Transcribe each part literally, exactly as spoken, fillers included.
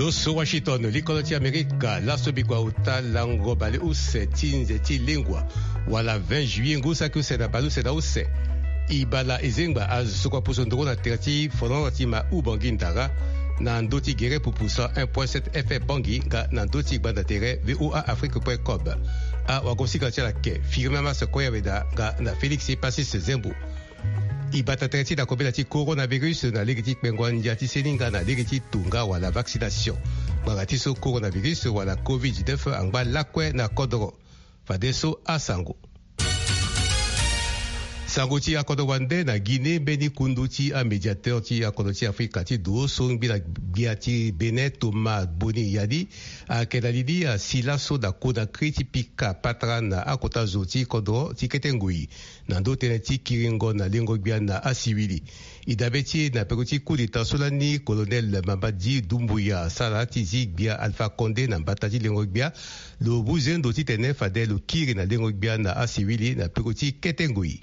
So Washington, likolo ti Amerika, laso bikua ota lango baleuse ti nze ti lengua, wala vingt juillet ngu saki use na baleuse na use. Ibala ezengba azo so kua puso ndoro na tere ti folon ti ma Ubangi Ndara, na ndö ti gere pupu cent un point sept F M Bangui, nga na ndö ti gbanda tere V O A Afrique point com. Awagosika ti ala ke Firmin Masse Koyaweda nga na Félix Passis Zembo. E bata tere ti na kobela ti coronavirus na lege ti kpengo andia ti seninga na lege ti tonga wala vaccination. Ngbanga ti so coronavirus wala covid dix-neuf angba lakue na kodoro. Fadeso asango. Sango ti akodro wande na Guinée, mbeni kundu ti amédiateur ti akodro ti Afrika ti do so ngbi na gbia ti Bénin, Thomas Boni Yadi, ayeke na li ni asi laso na Conakry ti pika patara na akota zo ti kodro ti kete ngoi na ndö tënë ti kiringo na lengo gbia na asiwili. E dabe ti e na peko ti coup d'état so lani colonel Mamadi Doumbouya asara ti zi gbia Alpha Condé na mbata ti lengo gbia, lo mu zendo titene fade lo kiri na lengo gbia na asiwili na peko ti kete ngoi.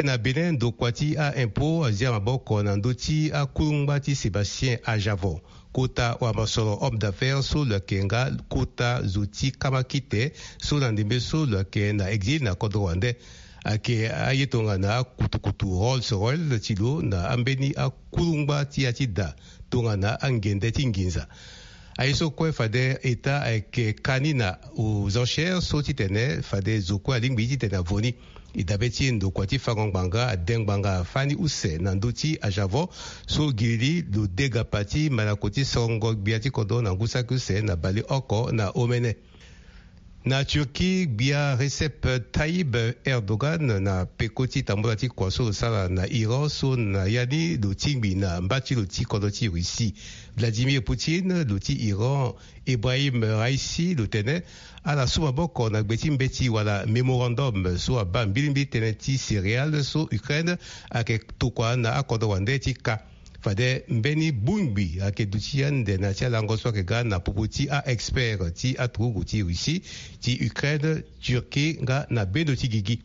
Na Bénin, ndokua ti a-impôt azia maboko na ndö ti akungba ti Sébastien Ajavon, kota wamosoro, homme d'affaires, so lo yeke nga kota zo ti kamakite so na ndembe so lo yeke na exil na kodro wande. Ayeke aye tongana akutukutu Rolls Royce ti lo na ambeni akungba ti ya ti da tongana angende ti nginza. Aye so kue fade État ayeke ka ni na aux enchères so titene fade zo kue alingbi titene avo ni. E dabe ti e ndokua ti fango ngbanga ade ngbanga afâ ni use na ndö ti Ajavon so gilili lo degapa ti malako ti sorongo gbia ti kodro na ngu saki use na baleoko na omene. Na Turquie, gbia Recep Tayyip Erdogan na peko ti tambula ti kua so lo sara na Iran so na ya ni lo tingbi na mba ti lo ti kodro ti Russie. Vladimir Poutine, lo ti Iran, Ebrahim Raisi, lo tene ala su maboko na gbe ti mbeti wala mémorandum so abaa mbilimbili tënë ti céréales so Ukraine ayeke tokua na akodro wande ti ka. Fade mbeni bongbi ayeke duti ande na ya ti alango so ayeke ga na popo ti a-expert ti aturugu ti Russie, ti Ukraine, Turquie nga na bendo ti gigi.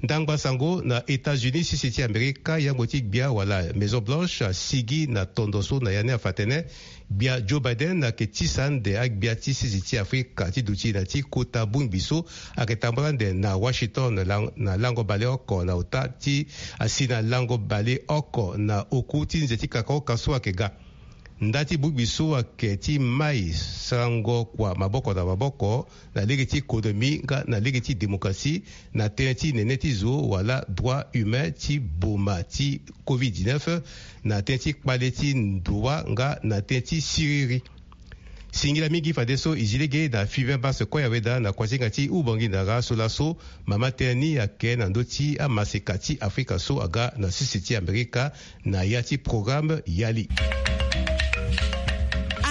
Ndangba sango na États-Unis, sese ti Amerika, yangbo ti gbia wala Maison Blanche asigi na tondo so na ya ni afa tënë gbia Joe Biden ayeke tisa ande agbia ti sese ti Afrika ti duti na ti kota bongbi so ayeke tambula ande na Washington na lang-, na lango baleoko na ota ti asi na lango baleoko na oku ti nze ti kakaoka so ayeke ga. Nda ti bongbi so ayeke ti mai sarango kua maboko na maboko na lege ti économie nga na lege ti démocratie, na tënë ti nene ti zo wala droit humain ti boma ti covid dix-neuf, na tënë ti kpale ti ndua nga na tënë ti siriri. Singila mingi fadeso e zi lege na Firmin Masse Koyaweda na kuasinga ti Ubangi Ndara so laso mama tënë ni ayeke na ndö ti amaseka ti Afrika so aga na sese ti Amerika na ya ti programme Yali.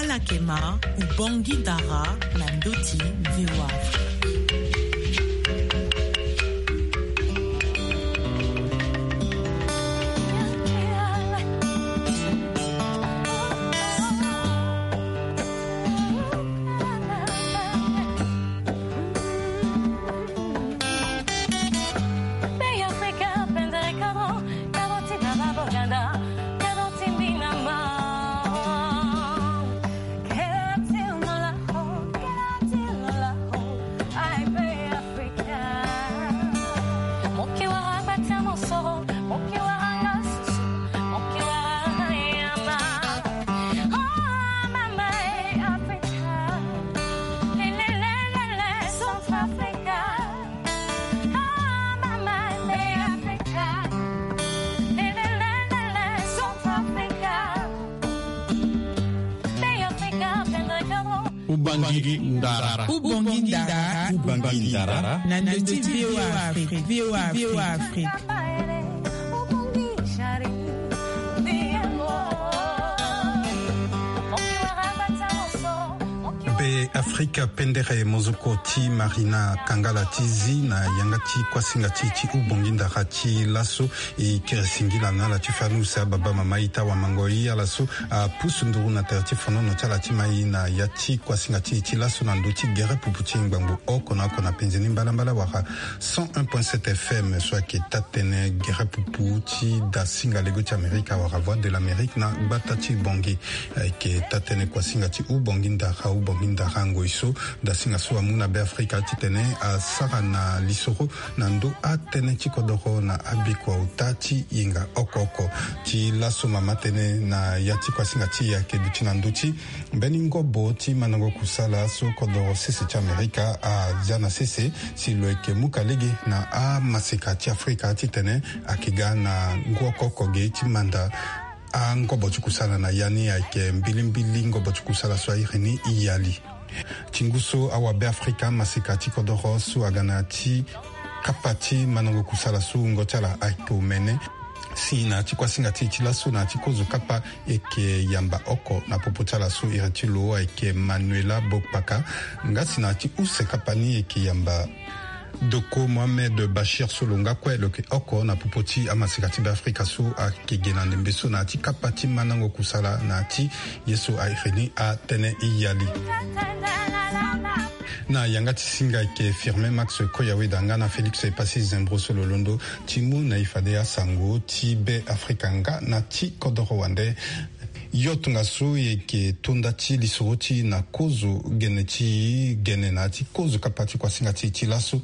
Ala yeke ma Ubangi Ndara na ndö ti V O A Afrique. Ubangi Ndara. Ubangi Ndara. Ubangi Ndara. Na ndö ti V O A Afrique. V O A Afrique. Mpe Afrika pendere mozoko ti Marina Kangala ti zi na yanga ti kuasinga ti ti ubongi ndara ti laso. E kiri singila na ala ti fani use ababa mama ita wamango i ala so apusu nduru na tere ti fonono ti ala ti mai na ya ti kuasinga ti ti laso na ndö ti gere pupu ti ngbangbo oko na oko na penze ni mbalambala wara cent un point sept F M so ayeke taa-tënë gere pupu ti dasinga lego ti Amerika wara Voix de l'Amérique na gbata ti Bangui. Ayeke taa-tënë kuasinga ti ubongi ndara ubongi ndara ngoi so dasinga so amu na Beafrika titene asara na lisoro na ndö atënë ti kodoro na abikua ota ti yenga oko oko. Ti laso mama tënë na ya ti kuasinga ti e ayeke duti na ndö ti mbeni ngobo ti mandango kusala so kodoro sese ti Amerika azia na sese si lo yeke muka lege na amaseka ti Afrika titene ayeke ga na ngu oko oko ge ti manda angobo ti kusala na ya ni ayeke mbilimbili ngobo ti kusala so airi ni yali. Ti ngu so awabe Afrika amaseka ti kodoro so aga na ya ti kapa ti mandango kusala so wungo ti ala ayeke omene. Si na ya ti kuasinga ti e ti laso na ya ti kozo kapa e yeke yamba oko na popo ti ala so iri ti lo ayeke Manuela Bokpaka. Nga si na ya ti use kapa ni e yeke yamba Doko Mohamed Bachir so lo nga kue lo yeke oko na popo ti amaseka ti Beafrika so ayeke ge na ndembe so na ya ti kapa ti mandango kusala na ya ti ye so airi ni atënë e yali. Na yanga ti singa ayeke Firmin Max Koyaweda nga na Félix Passy Zembro so lo londo ti mu na e fade asango ti Beafrika nga na ti kodoro wande. Yo tongaso e yeke to nda ti lisoro ti e na kozo gene ti gene na ya ti kozo kapa ti kuasinga ti e ti laso.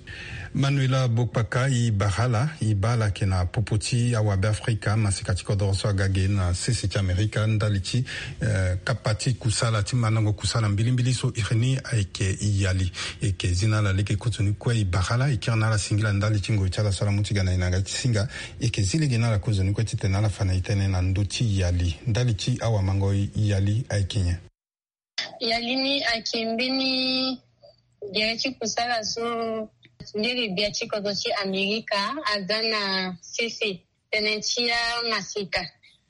Manuela Bokpaka, e bara ala, e baa ala ayeke na popo ti awabe Afrika amaseka ti kodoro so aga ge na sese ti Amerika ndali ti eh, kapa ti kusala ti mandango kusala mbilimbili so iri ni ayeke yali. E yeke zi na ala lege kozoni kue, e bara ala, e kiri na ala singila ndali ti ngoi ti ala so ala mu ti ga na e na yanga ti singa. E yeke zi lege na ala kozoni kue titene ala fa na e tënë na ndö ti yali. Ndali ti awamango yali ayeke nyen? Yali ni ayeke mbeni gere ti kusala so ndiri gbia ti kodro ti Amerika aza na sese tënë ti amaseka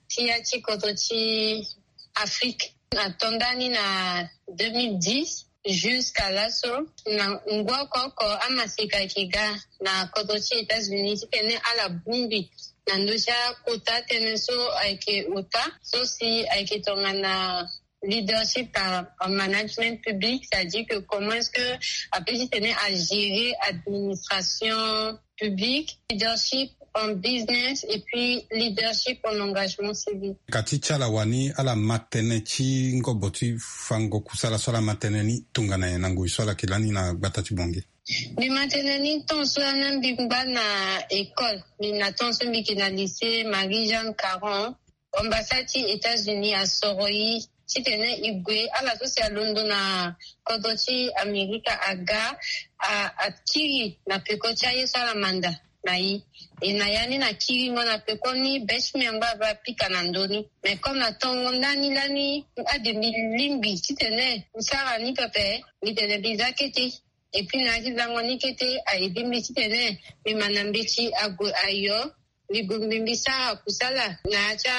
ti ya ti kodro ti Afrique. Ato ndani na deux mille dix jusqu'à laso na ngu oko oko amaseka ayeke ga na kodro ti États-Unis titene ala bongbi na ndö ti akota tënë so ayeke ota so si ayeke tongana leadership en, en management public, c'est-à-dire que comment est-ce que apeut titene agérer administration publique, leadership en business et puis leadership en engagement civique. Ka ti ti ala wani ala ma tënë ti ngobo ti fango kusala so ala ma tënë ni tongana nyen na ngoi so ala yeke lani na gbata ti Bangui? Mbi ma tënë ni temps so lani mbi ngba na école, mbi na temps so mbi yeke na lycée Marie-Jeanne Caron. Ambassade ti États-Unis asoro e titene e gue, ala so si alondo na kodro ti Amerika aga, a, akiri na peko ti aye so ala manda na e. E na ya ni na kiringo na peko ni be ti mbi angba aba apika na ndö ni. Mais comme na tongo ndani lani ade mbi lingbi titene mbi sara ni pepe, mbi tene mbi za kete. Et puis na ya ti zango ni kete a aidé mbi titene mbi ma na mbeti ague ayo. Mbi gue mbi mbi sara kusala na ya ti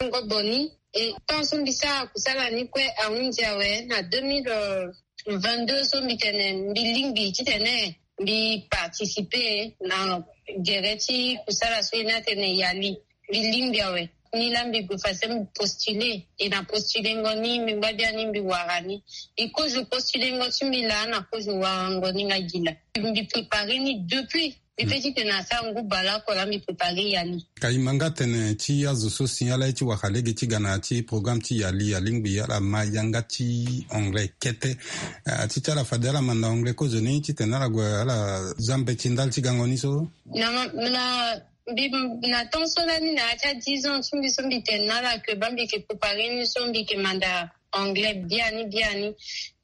angobo ni. E temps so mbi sara kusala ni kue ahunzi awe na deux mille vingt-deux so mbi tene mbi lingbi titene mbi participer na gere ti kusala so e ni atene yali. Mbi lingbi awe. Ni laa mbi gue fadeso mbi postuler. E na postulengo ni mbi ngba biani mbi wara ni. E kozo postulengo ti mbi laa na kozo warango ni nga gi laa. Mbi préparer ni depuis. Mbi pe titene asara ngu baleoko laa mbi préparer yali. Ka e ma nga tene ti azo so si ala ye ti wara lege ti ga na ya ti programme ti yali, alingbi ala ma yanga ti anglais kete. Ah, ti ti ala fade ala manda anglais kozoni titene ala gue ala za mbeti ndali ti gango ni so. Na ma, na Mbi na temps so lani na ya ti a dix ans ti mbi so mbi tene na ala que baa mbi yeke préparer ni so mbi yeke manda anglais biani biani.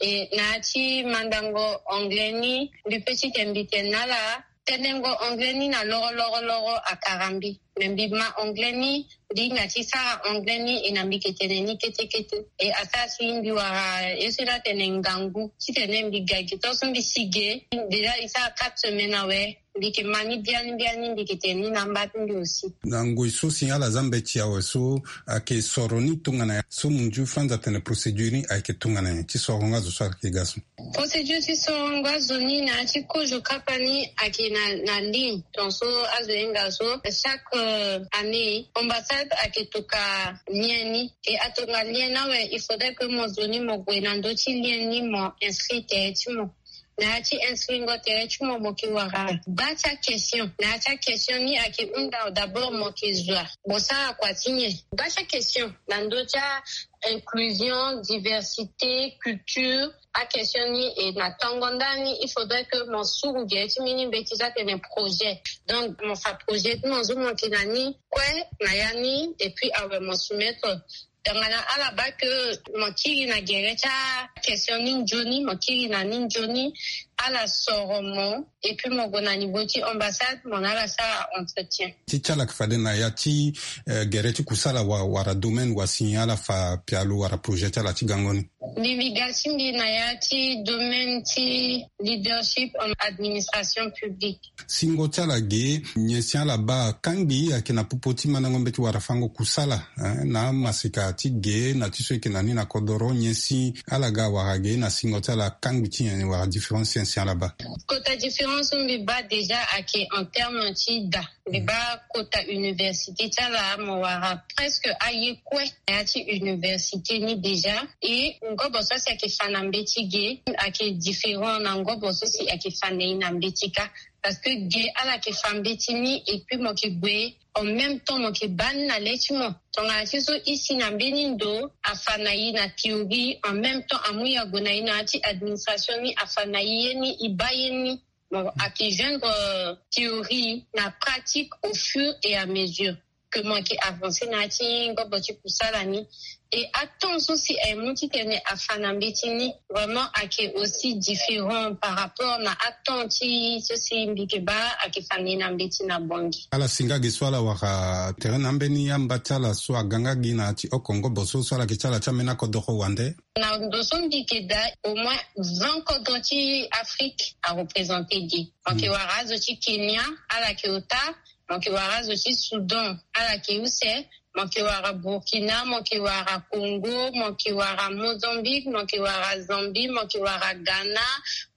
E na ya ti mandango anglais ni mbi pe titene mbi tene na ala tenengo anglais ni na loro loro loro akara mbi. Mais mbi ma anglais ni, mbi hinga ti sara anglais ni, e na mbi yeke tene ni kete kete. E asara si mbi wara ye so ni atene ngangu titene mbi ga gi tongaso mbi si ge. Déjà e sara quatre semaines awe. Mbi yeke ma ni biani biani, mbi yeke tene ni na amba ti mbi aussi. Na ngoi so si ala za mbeti awe so ayeke soro ni tongana nyen so munzu fanza tene procédure ni ayeke tongana nyen ti sorongo azo so ayeke ga so? Procédure ti sorongo azo ni na ya ti kozo kapa ni ayeke na, na ligne. Donc so azo hinga so chaque, euh, année, ambassade ayeke toka lien ni. E atonga lien ni awe, il faudrait que mo zo ni mo gue na ndö ti lien ni, mo inscrit tere ti mo. Na ya ti inscrit ngo tere ti mo, mo yeke wara bâ ti a-question. Na ya ti a-question ni ayeke hunda d'abord mo yeke zo a, mo sara kua ti nyen? Bâ ti a-question na ndö ti a-inclusion, diversité, culture. A-question ni, e na tongo ndani, il faudrait que mo suru gere ti mbeni mbeti so atene projet. Donc mo fa projet ti mo so mo yeke na ni kue na ya ni, et puis awe mo soumettre. Tongana ala bâ que mo kiri na gere ti a-question ni nzoni, mo kiri na ni nzoni, ala soro mo, et puis mo gue na niveau ti ambassade, mo na ala sara entretien. Ti ti ala yeke fade na ya ti, eh, gere ti kusala wa, wala domaine wa si ala fa pialo wala projet ti ala ti gango ni? Mbi, mbi ga ti mbi na ya ti domaine ti leadership en administration publique. Singo ti ala ge, nyen si ala bâ? Kangbi ayeke na popo ti mandango mbeti wala fango kusala, hein, na amaseka ti ge na ti so e yeke na ni na kodoro, nyen si ala ga wala ge na singo ti ala? Kangbi ti nyen wala différence nyen si ala bâ? Kota différence so mbi bâ déjà ayeke en terme ti da. Mbi bâ kota université ti ala, mo wara presque aye kue na ya ti université ni déjà. Et ngobo so si ayeke fa na mbeti ge ayeke différent na ngobo so si ayeke fa na e na mbeti kâ. Parce que ge ala yeke fa mbeti ni et puis mo yeke gue, en même temps mo yeke bâ ni na le ti mo. Tongana ti so e si na mbeni ndo afa na e na théorie, en même temps amu e ague na e na ya ti administration ni, afa na e ye ni, e bâ ye ni. Mo yeke joindre, euh, théorie na pratique au fur et à mesure que mo yeke avancer na ya ti ngobo ti kusala ni. Et atemps so si aye mu titene afa na mbeti ni, vraiment ayeke aussi différent par rapport na atemps ti so si mbi yeke bâ ayeke fa na e na mbeti na Bangui. Ala si nga ge so ala wara tere na ambeni amba ti ala so aga nga gi na ya ti oko ngobo so, so ala yeke ti ala ti ambeni akodoro wande? Na ndo so mbi yeke daa, au moins vingt kodro ti Afrique areprésente ge. Mo yeke wara azo ti Kenya, ala yeke ota. Mo yeke wara azo ti Soudan, ala yeke use. Mo yeke wara Burkina, mo yeke wara Congo, mo yeke wara Mozambique, mo yeke wara Zambie, mo yeke wara Ghana,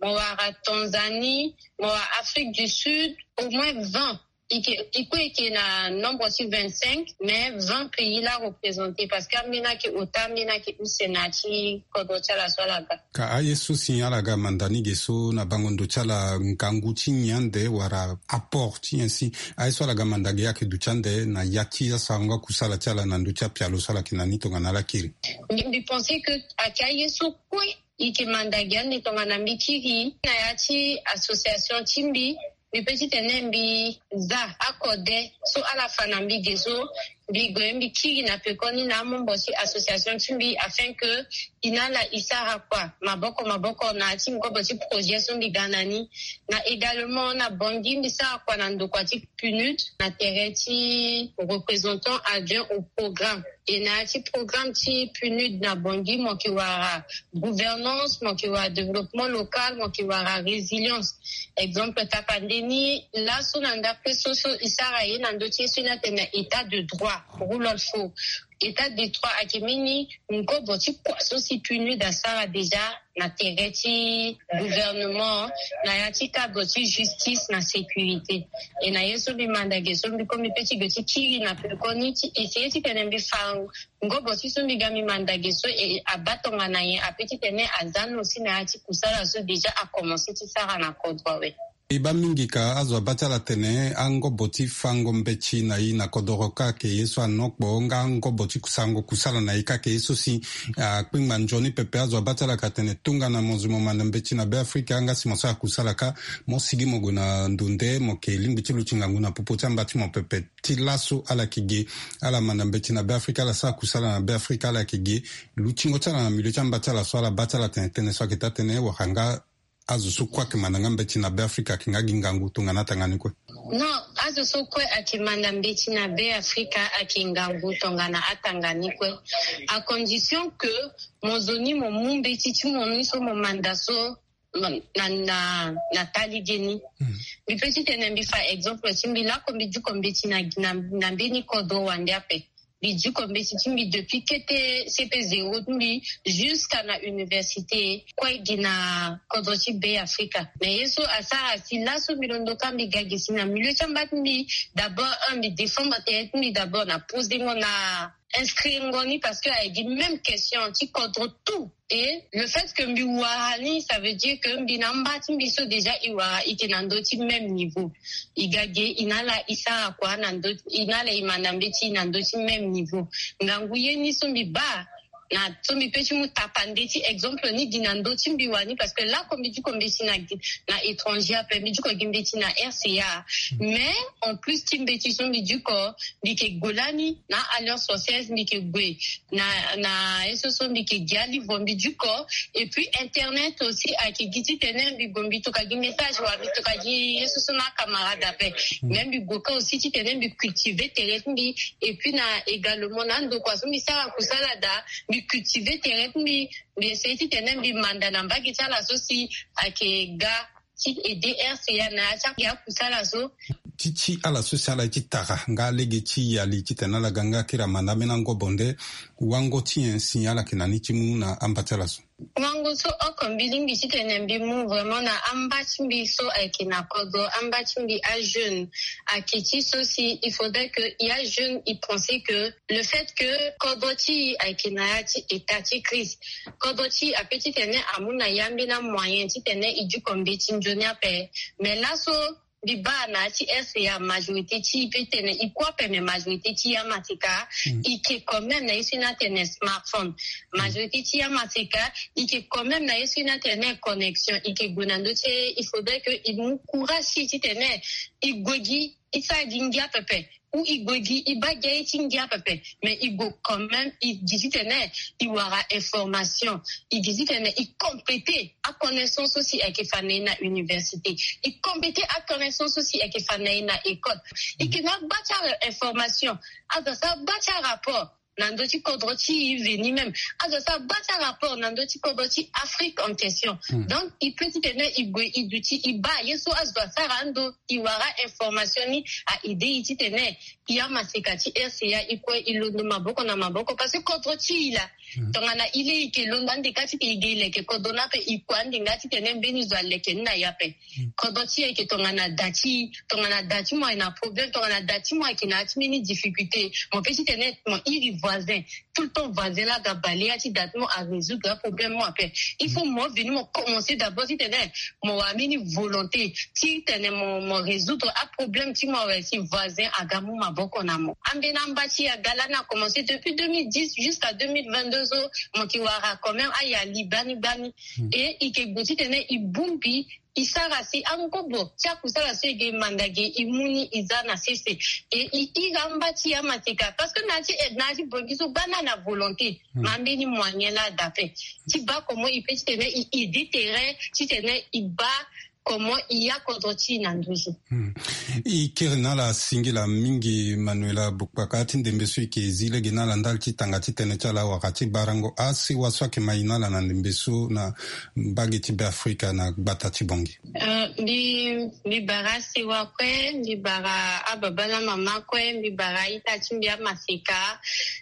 mo wara Tanzanie, mo wara Afrique du Sud, au moins vingt. E ke, e kue e ke na nombre ti vingt-cinq, mais vingt pays la représente, parce que ambeni ayeke ota, ambeni ayeke use na ya ti kodro ti ala so ala ga. Ka aye so si ala ga manda ni ge so na bango ndo ti ala, ngangu ti nyen ande wala apport ti nyen si aye so ala ga manda ge ayeke duti ande na ya ti asarango akusala ti ala na ndö ti apialo so ala yeke na ni tongana ala kiri? Mbi, mbi pense que ayeke aye so kue e yeke manda ge ande tongana mbi kiri na ya ti association ti mbi. Mbi peut titene mbi za akode so ala fa na mbi ge so, mbi gue mbi kiri na pekoni na amembre ti association ti mbi afin que e na ala e sara kua maboko maboko na ya ti ngobo ti projet so mbi ga na ni. Na également na Bangui mbi sara kua na ndokua ti PNUD na tere ti représentant adjoint au programme. E na ya ti programme ti PNUD na Bangui mo yeke wara gouvernance, mo yeke wara développement local, mo yeke wara résilience. Exemple tapande ni laso na ndapre so so e sara ye na ndö ti ye so ni atene état de droit, rule of law. État de droit ayeke mbeni ngobo ti kua so si PNUD asara déjà na tere ti gouvernement, na ya ti cadre ti justice na sécurité. E na ye so mbi manda ge so mbi kue mbi peut ti gue ti kiri na pekoni ti essayer titene mbi fa ngobo ti so mbi ga mbi manda ge so e abaa tongana nyen, apeut titene aza ni aussi na ya ti kusala so déjà akomense ti sara na kodro awe. E baa mingi ka azo abaa ti ala tene angobo ti fango mbeti na e na kodoro kâ ayeke ye so anokpo, nga angobo ti sarango kusala na e kâ ayeke ye so si akpingba nzoni pepe. Azo abaa ti ala ka tene tongana mo zo mo manda mbeti na Beafrika, nga si mo sara kusala kâ, mo sigi mo gue na ndo nde mo yeke lingbi ti luti ngangu na popo ti amba ti mo pepe. Ti laso ala yeke ge, ala manda mbeti na Beafrika, ala sara kusala na Beafrika, ala yeke ge. Lutingo ti ala na milieu ti amba ti ala so ala baa ti ala tene tënë so ayeke taa tënë wala nga Azo so kue ayeke manda nga mbeti na Be Afrika ayeke nga gi ngangu tongana atanga ni kue? Non, azo so kue ayeke manda mbeti na Be Afrika ayeke ngangu tongana atanga ni kue. À condition que mo zo ni mo mu mbeti ti mo ni so mo manda so na, na, na, na ta lege ni. Mbi pe titene mbi fa exemple ti mbi lako mbi diko mbeti na, na, na mbeni kodro wande ape. Mbi diko mbeti ti mbi depuis kete C P zéro ti mbi jusqu'à na université kue gi na kodro ti Be Afrika. Mais ye so asara si laso mbi londo ka mbi ga gi si na milieu ti amba ti mbi. D'abord un, mbi défendre tere ti mbi d'abord na posengo na inscrirengo ni parce que ayeke gi même question ti kodro tout. Et le fait que mbi wara ni, ça veut dire que mbi na amba ti mbi so déjà e wara, e yeke na ndö ti même niveau. E ga ge, e na ala e sara kua na ndö, e na ala e manda mbeti na ndö ti même niveau. Ngangu ye ni so mbi baa na so mbi pe ti mu tapande ti exemple ni gi na ndö ti mbi wani, parce que lako mbi diko mbeti na, na étranger ape, mbi diko gi mbeti na R C A. Mais en plus ti mbeti so mbi diko, mbi yeke gue lani na Alliance Française, mbi yeke gue na, na ye so so mbi yeke gi alivre mbi diko. Et puis internet aussi ayeke gi titene mbi gue mbi toka gi message wala mbi toka gi ye so so na acamarade ape. Mais mbi gue ka aussi titene mbi cultive tere ti mbi. Et puis na également na andokua so mbi sara kusala daa, mbi cultive tere ti mbi. Mbi essaye titene mbi manda na mbage ti ala so si ayeke ga ti aider R C A na ya ti akusala so. Ti ti ala so si ala ye ti tara nga lege ti yali titene ala ga nga kiri amanda ambeni angobo nde wango ti nyen si ala yeke na ni ti mu na amba ti ala so? Wango so oko mbi lingbi titene mbi mu vraiment na amba ti mbi so ayeke na kodro, amba ti mbi ajeune, ayeke ti so si il faudrait que ya jeune e pense que le fait que kodro ti e ayeke na ya ti état ti crise, kodro ti e ape titene amu na e ambeni amoyen titene e diko mbeti nzoni ape. Mais laso mbi baa na ya ti R C A majorité ti e pe tene e kue ape, mais majorité ti e amaseka e yeke quand même na ye so e na tene smartphone. Majorité ti e amaseka e yeke quand même na ye so e na tene connexion. E yeke gue na ndö ti e, il faudrait que e mu courage ti e titene e gue gi, e sara gi ngia pepe. Ou e gue gi, e baa gi aye ti ngia pepe. Mais e gue quand même, e gi titene e wara information, e gi titene e compléter aconnaissance so si ayeke fa na e na université, e compléter aconnaissance so si ayeke fa na e na école. E yeke na agba ti a-information, azo asara agba ti arapport na ndö ti kodro ti e veni même, azo asara agba ti arapport na ndö ti kodro ti Afrique en question. Donc e peut titene e gue e duti e baa ye so azo asara ando, e wara information ni, a-aider e titene e amaseka ti R C A e kue e londo maboko na maboko, parce que kodro ti e laa, tongana e le e yeke londo ande ka ti e ge e leke kodro ni ape, e kue ande nga titene mbeni zo aleke ni na e ape. Kodro ti e ayeke tongana da ti e, tongana da ti mo ayeke na problème, tongana da ti mo ayeke na ya ti mbeni difficulté, mo pe titene mo iri voisin. Tout le temps voisin laa aga baleya ti da ti mo arésoudre aproblème mo ape. Il faut mo venu mo commencer d'abord titene mo wara mbeni volonté titene mo, mo résoudre aproblème ti mo awe si voisin aga mu maboko na mo. Ambeni amba ti e aga lani a commencer depuis deux mille dix jusqu'à deux mille vingt-deux so mo yeke wara quand même ayali gbani gbani. Et e yeke gue titene e bongbi e sara si angobo ti akusala so e ge e manda ge e mu ni e za na sese. E e iri amba ti e amaseka parce que na ya ti, na ya ti bongi so gbani na volonté, ma mbeni moyen laa da ape ti baa comment e peut titene e aider tere titene e baa comment e ya kodro ti e na nduzu. E kiri na ala singila mingi Manuela Bokpaka ti ndembe so e yeke zi lege na ala ndali ti tanga ti tënë ti ala wala ti barango asewa so ayeke ma e na ala na ndembe so na mbage ti Beafrika na gbata ti Bangui. Euh, mbi, mbi bara asewa kue, mbi bara ababa na mama kue, mbi bara a-ita ti mbi amaseka,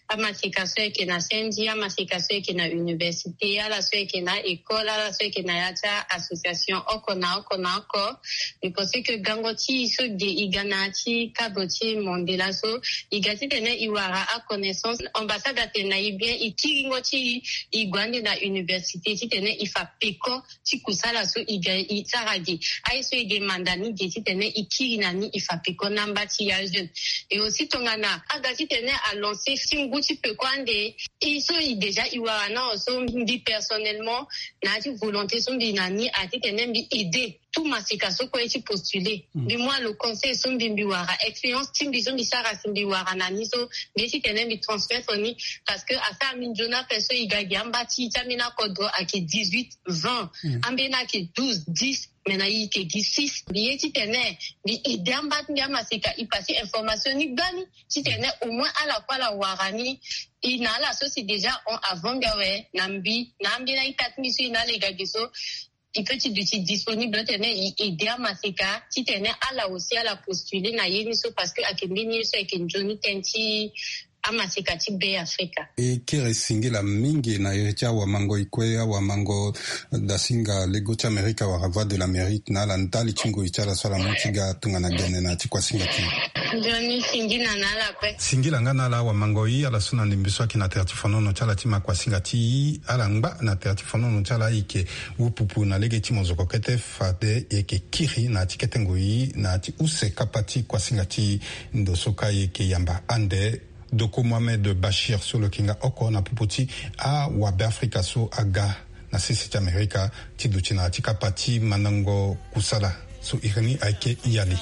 amaseka so ayeke na sendi, amaseka so ayeke na université, ala so ayeke na école, ala so ayeke na ya ti association oko na oko na oko. Mbi pense que gango ti e so ge e ga na ya ti cadre ti monde laso, e ga titene e wara aconnaissance. Ambassade atene na e bien, e kiringo ti e, e gue ande na université titene e fa peko ti kusala so e ga e sara ge. Aye so e ge manda ni ge titene e kiri na ni e fa peko na amba ti e ajeune. Et aussi tongana aga titene alancer ti ngu ti peko ande. E so e déjà e wara na so mbi personnellement na ya ti volonté so mbi na ni a titene mbi aider tout masika so kue ti postuler. Mbi mu alo conseil so mbi mbi wara, expérience ti mbi so mbi sara si mbi wara na ni so mbi ye titene mbi transmettre ni. Parce que asara mbi nzoni ape so e ga gi amba ti ti ambeni akodro ayeke dix-huit, vingt, ambeni ayeke douze, dix, mais na e yeke gi six. Mbi ye titene mbi aider amba ti mbi amasika e passer information ni gbani titene au moins ala kue ala wara ni. E na ala so si déjà hon avant mbi awe na mbi na ambeni a-ita ti mbi so e na ala e ga gi so e peut ti duti disponible titene e aider amasika titene ala aussi ala postuler na ye ni so, parce que ayeke mbeni ye so ayeke nzoni tënë ti amasika ti Be Afrika. E kiri singila mingi na iri ti awamangoi kue, awamango dasinga lego ti Amerika wala Voix de l'Amérique na ala ndali ti ngoi ti ala so ala mu ti ga tongana gene na ya ti kuasinga ti e. Nzoni singila na ala kue. Singila nga na ala awamangoi, ala so na ndembe so ayeke na tere ti fonono ti ala ti ma kuasinga ti e, ala ngba na tere ti fonono ti ala ayeke wupupu na lege ti mozoko kete fade e yeke kiri na ya ti kete ngoi na ya ti use kapa ti kuasinga ti e. Ndo so ka e yeke yamba ande Doko Mohamed Bachir so lo yeke nga oko na popo ti awabeafrika so aga na sese ti Amerika ti duti na ya ti kapa ti mandango kusala so iri ni ayeke Yali.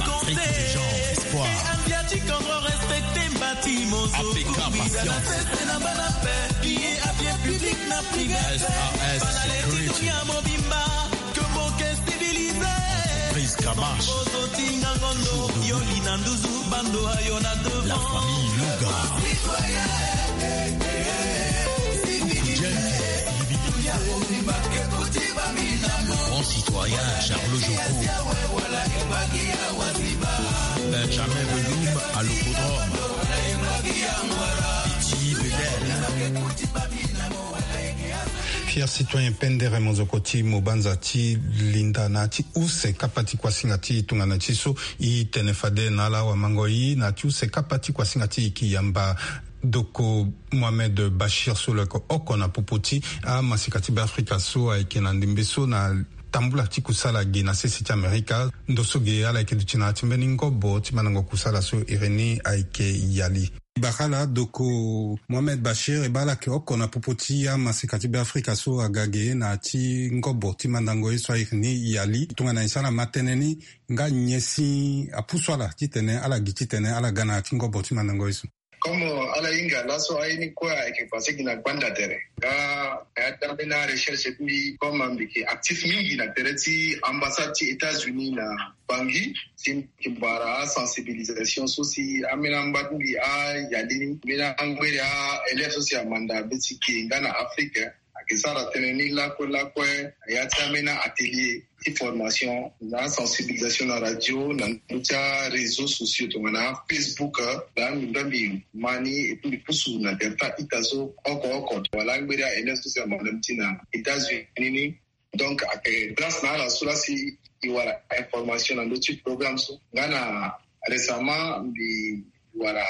Patrick Jean, Espoir. S A S Security. Prise Kamash. La famille Louga. Coucou James. Grand citoyen Charles Joko. Benjamin Veloum à l'Hippodrome. Petit Bedel. Fier citoyen Pendere Mozoko ti Mobanza ti linda na ti use kapa ti kuasinga ti tongana ti so e tene fade na ala awamangoi na ti use kapa ti kuasinga ti e yamba Doko Mohamed Bachir so lo yeke oko na popo ti amasika ti Beafrika so ayeke na ndembe so na tambula ti kusala ge na sese ti Amerika. Ndo so ge ala yeke duti na ya ti mbeni ngobo ti mandango kusala so iri ni ayeke Yali. Bara ala Doko Mohamed Bachir e baa ala yeke oko na popo ti amasika ti Beafrika so aga ge na ya ti ngobo ti mandango ye so airi ni Yali. Tongana e sara ma tënë ni nga nyen si apusu ala titene ala gi titene ala ga na ya ti ngobo ti mandango ye so? Comme ala hinga laso aye ni kue ayeke passé gi na gbanda tere. Nga na ya ti ambeni arecherche ti mbi, comme mbi yeke actif mingi na tere ti ambassade ti États-Unis na Bangui, si mbi yeke bara asensibilisation so si ambeni amba ti mbi ayali ni, mbeni angberi a-élève so si amanda mbeti ge nga na Afrique. Ayeke sara tënë ni lakue lakue na ya ti ambeni atelier ti formation na sensibilisation na radio, na ndö ti aréseaux sociaux tongana Facebook. Daa mbi mbi ma ni, et puis mbi pusu na tere ti a-ita so oko oko wala angberi a-élève so si amanda mbeti na États-Unis ni. Donc ayeke grâce na ala so laa si e wara information na ndö ti programme so. Nga na récemment mbi wara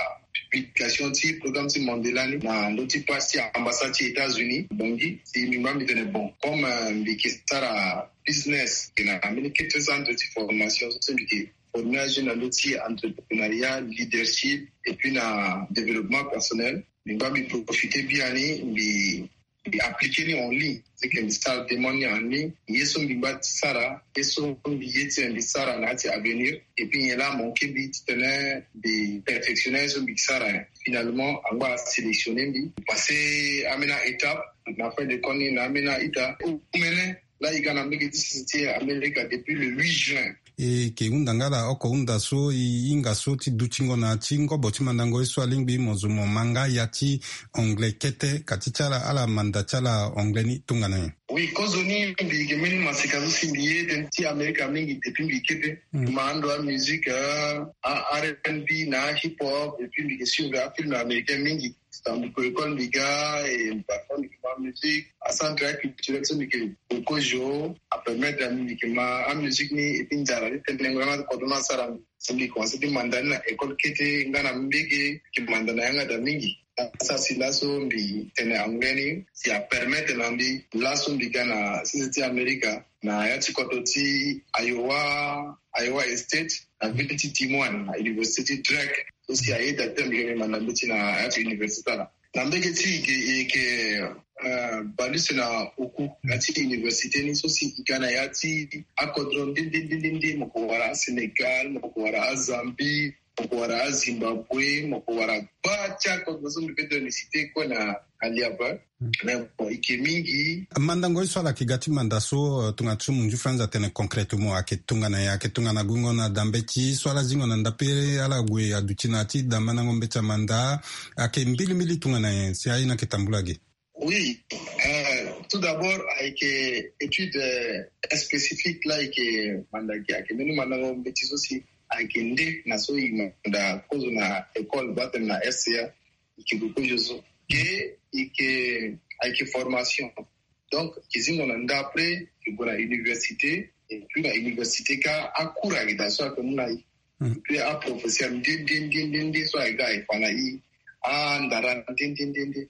publication ti programme ti Mandela ni na ndö ti page ti ambassade ti États-Unis Bangui. Si mbi ngba mbi tene bon, comme mbi yeke sara business, mbi yeke na mbeni kete centre ti formation so mbi yeke former ajeune na ndö ti entrepreneuriat, leadership et puis na développement personnel. Mbi ngba mbi profiter biani mbi mbi appliquer ni en ligne. C'est que mbi sara demande ni en ligne. Ye so mbi ngba ti sara, ye so mbi ye ti mbi sara na ya ti avenir. Et puis nyen laa amanquer mbi titene mbi perfectionner ye so mbi sara. Finalement angba asélectionner mbi, passer ambeni a-étape. Na fin de compte ni na ambeni a-ita omene laa e ga na mbage ti sese ti Amerika depuis le huit juin. E yeke hunda nga ala oko hunda so e hinga so ti dutingo na ya ti ngobo ti mandango ye so alingbi mo zo mo ma nga ya ti anglais kete. Kati ti ala, ala manda ti ala anglais ni tongana nyen? Oui, kozoni mbi yeke mbeni maseka so si mbi ye tënë ti Amerika mingi depuis mbi kete. Mm. Ma ando amusique, a R and B na hip hop, et puis mbi yeke suivre afilm américain mingi. Tangu mbi ko école mbi ga, e parfois mbi yeke ma musique. Acentre culturel so mbi yeke ko kozo apermettre na mbi mbi yeke ma amusique ni, et puis nzara ti tene ngbanga ti kodro ni asara mbi. Si mbi commencer ti manda ni na école kete nga na mbage, mbi yeke manda na yanga daa mingi. Asara si laso mbi tene anglais ni si apermettre na mbi laso mbi ga na sese ti Amerika. na ya ti kodro ti Iowa, Iowa State, na ville ti Des Moines, na université ti Drake. So si ayeda ti tene mbi yeke manda mbeti na ya ti université ala. Na mbege ti e yeke, e yeke, eh, bale use na oku na ya ti université ni, so si e ga na ya ti akodro nde nde nde nde nde, mo ko wara aSénégal, mo ko wara aZambie, mo ko wara aZimbabwe, mo ko wara gba ti akodro so mbi peut tene mbi cité kue na, na liaba. Mais bon, e yeke mingi. Mandango ye so ala yeke ga ti manda so, eh, tongana ti so mo nzu franz atene concrètement ayeke tongana nyen? Ayeke tongana gungo na da mbeti so ala zingo na nda pe ala gue aduti na ya ti da mandango mbeti amanda, ayeke mbilimbili tongana nyen si aye ni ayeke tambula ge? Oui, euh, tout d'abord, ayeke étude, euh, spécifique la ayeke manda ge, ayeke mbeni mandango mbeti so si ayeke nde na so e manda kozo na école, baa tene na S C A, e yeke gue kozo so. Ge, e yeke, ayeke formation. Donc e yeke zingo na nda, après e yeke gue na université, et puis na université kâ, acours ayeke daa so ayeke mu na e. Mm. Et puis aprofesseur nde nde nde nde nde so ayeke ga, ayeke fa na e andara nde nde nde nde.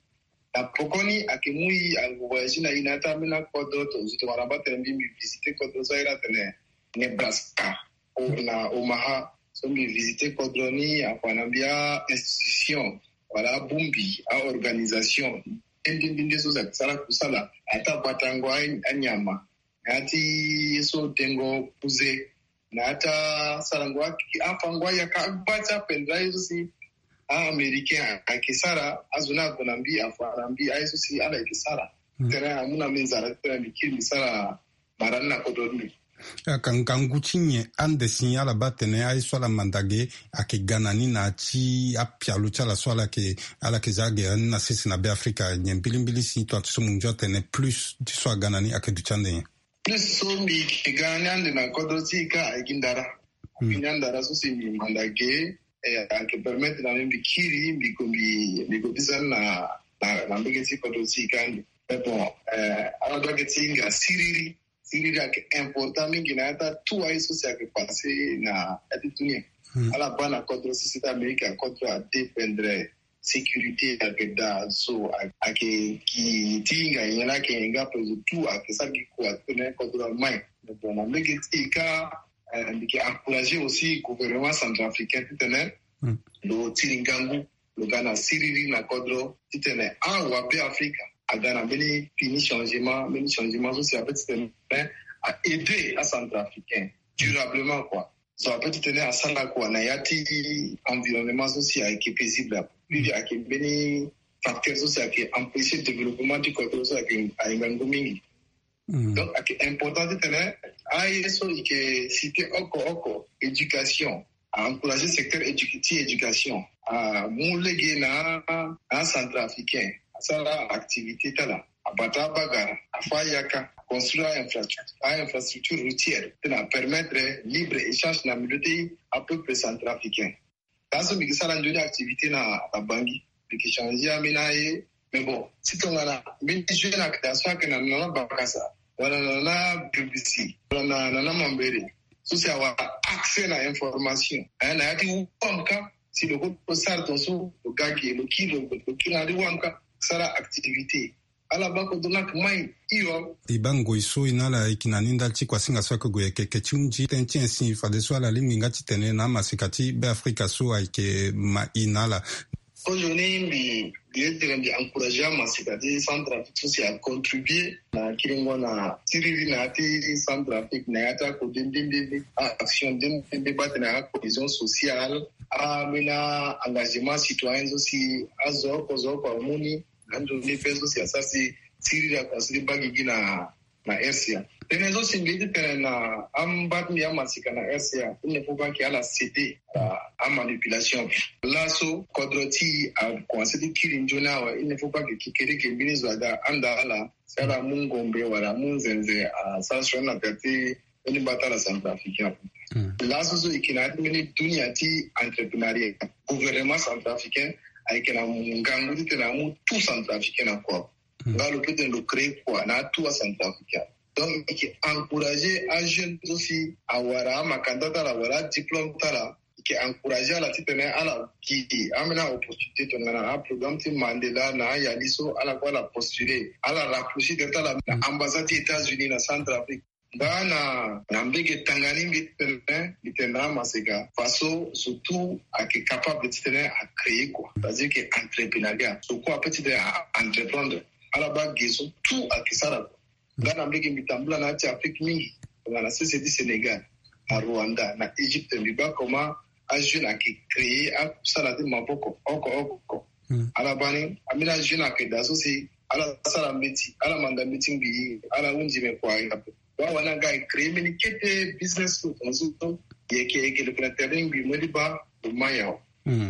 Na pokoni ayeke mu e, ayeke voyagé na e na ya ti ambeni akodro. Tongana baa tene mbi, mbi visité kodro so ayeke tene Nebraska, o, na Omaha. So mbi visité kodro ni, afa na mbi a-institution wala abongbi, a-organisation nde nde nde nde so si ayeke sara kusala na ya ti abatango a, anyama, na ya ti ye so dengo kuze, na ya ti asarango a, afango ayaka agba ti apendre aye so si a-Américain ayeke sara. Azo ni ague na mbi, afa na mbi aye so si ala yeke sara. Mm. Titene amu na mbi nzara titene mbi kiri mbi sara mara ni na kodro ni. Ayeke ngangu ti nyen ande si ala baa tene aye so ala manda ge ayeke ga na ni na ya ti apialo ti ala so ala yeke, ala yeke za ge ni na sese na Beafrika? Nyen mbilimbili si tongana ti so mo nzu atene plus ti so aga na ni ayeke duti ande nyen? Plus so mbi yeke ga ni ande na kodro ti e kâ ayeke ndara. Mm. Mbi ni andara so si mbi manda ge, eh, ayeke permettre na mbi mbi kiri, mbi gue, mbi, mbi gue biza ni na, na, na mbege ti kodro ti e kâ ande. Mais bon, eh, ala doit yeke ti hinga siriri. Siriri ayeke important mingi na ya ti atu aye so si ayeke passé na ya ti dunia. Hmm. Ala baa na kodro so si ti Amérique akodro adépendre sécurité ayeke daa so, a, ayeke gi ti hinga nyen la ayeke nyen nga, après tout ayeke sara gi kua titene kodro amai. Mais bon, na mbege ti e kâ, eh, mbi yeke encourager aussi gouvernement centrafricain titene, hmm, lo tiri ngangu, lo ga na siriri na kodro titene awabe Afrika aga na mbeni fini changement, mbeni changement so si apeut titene a aider aCentrafricain durablement, quoi. So apeut titene asara kua na ya ti environnement so si ayeke paisible. Puis ayeke mbeni facteur so si ayeke empêcher développement ti kodro so ayeke, ayeke ngangu mingi. Mm. Donc ayeke important titene aye so e yeke cité oko oko, éducation, a encourager secteur édu-, ti éducation, amu lege na, na aCentrafricain, asara activité ti ala, abata abagara, afa ayaka, construire a infrastructure, a infrastructure routière titene apermettre libre échange na milieu ti apeuple centrafricain. Laso mbi yeke sara nzoni activité na, na Bangui. Mbi yeke changer ambeni aye. Mais bon, si tongana mbeni jeune ayeke daa so ayeke na, na, na bakasa, wala na, na, na B B C, wala na, na, na Mambéré, so si awara accès na information, eh, na ya ti wam kâ, si lo kue lo sara tongaso, lo ga ge, lo kiri, lo, lo kiri na ya ti wam kâ, sara activité. Ala baa kodro ni ayeke mai hio. E baa ngoi so e na ala e yeke na ni ndali ti kuasinga so ayeke gue yeke, yeke ti hunzi tënë ti nyen si fadeso ala lingbi nga titene na amaseka ti Beafrika so ayeke ma e na ala. Kozo ni mbi, mbi ye titene mbi encourager amaseka ti Centrafrique so si acontribuer na kiringo na siriri na ya ti Centrafrique, na ya ti akode nde nde nde, a-action nde nde nde, baa tene acohésion sociale, ambeni a-engagement citoyen so si azo oko zo oko amu ni. Ando ni pe so si asara si siriri aconsidérer baa gigi na, na R C A. Tënë so si mbi ye ti tene na amba ti mbi amaseka na R C A, il ne faut pas que ala céder à, à manipulation. Laso kodro ti e akomanse ti kiri nzoni awe, il ne faut pas que kekereke mbeni zo aga anda ala si ala mu ngombe wala amu nzenze asara sioni na tere ti mbeni mbata ala centrafricain. Hmm. Laso so e yeke na ya ti mbeni dunia ti entrepreneuriat. Gouvernement centrafricain ayeke na ngangu titene amu tout centrafricain na kua. Hmm. Nga lo peut titene lo créer kua na tout acentrafricain. Donc e yeke encourager ajeune so si awara amakanda ti ala wala adiplôme ti ala. E yeke encourager ala titene ala gi ambeni aopportunité tongana aprogramme ti Mandela na ayali so, ala kue ala postuler, ala rapprocher tere ti ala na ambassade ti États-Unis na Centrafrique. Nga na na mbege tanga ni mbi tene mbi tene na amaseka faso zo tout ake capable ti tene a créer quoi, c'est-à-dire que entreprenariat so kue ape ti tene a entreprendre. Ala baa ge so tout ake sara quoi. Nga na mbege mbi tambula na ya ti Afrique mingi, nga na sese ti Sénégal, na Rwanda, na Égypte, mbi baa comment ajeune ake créer asara ti maboko oko oko. Ala baa ni ambeni ajeune ake daa so si ala sara mbeti, ala manda mbeti ngbii, ala hunzi me kua ape. Wawani aga e créer mbeni kete business so tongaso yeke yeke lo yeke na terrain ngbii mo ye ti baa lo ma nyon.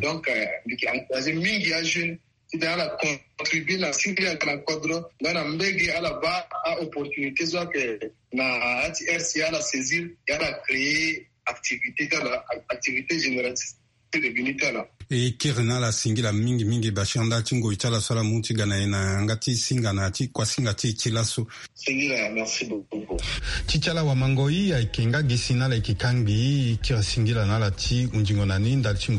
Donc mbi yeke encourager mingi ajeune ti tene ala contribuer na singila na kodro nga na mbege ala baa aopportunité so ayeke na ya ti R C A ala saisir, e ala créer activité ti ala, activité génératrice de revenu ti ala. E kiri na ala singila mingi mingi basianda ti ngoi ti ala so ala mu ti ga na e na yanga ti singa na ya ti kuasinga ti e ti laso. Singila, merci beaucoup. Ti ti ala wamangoi ayeke nga gi si na ala yeke kangbi, e kiri singila na ala ti hunzingo na ni ndali ti ngoi.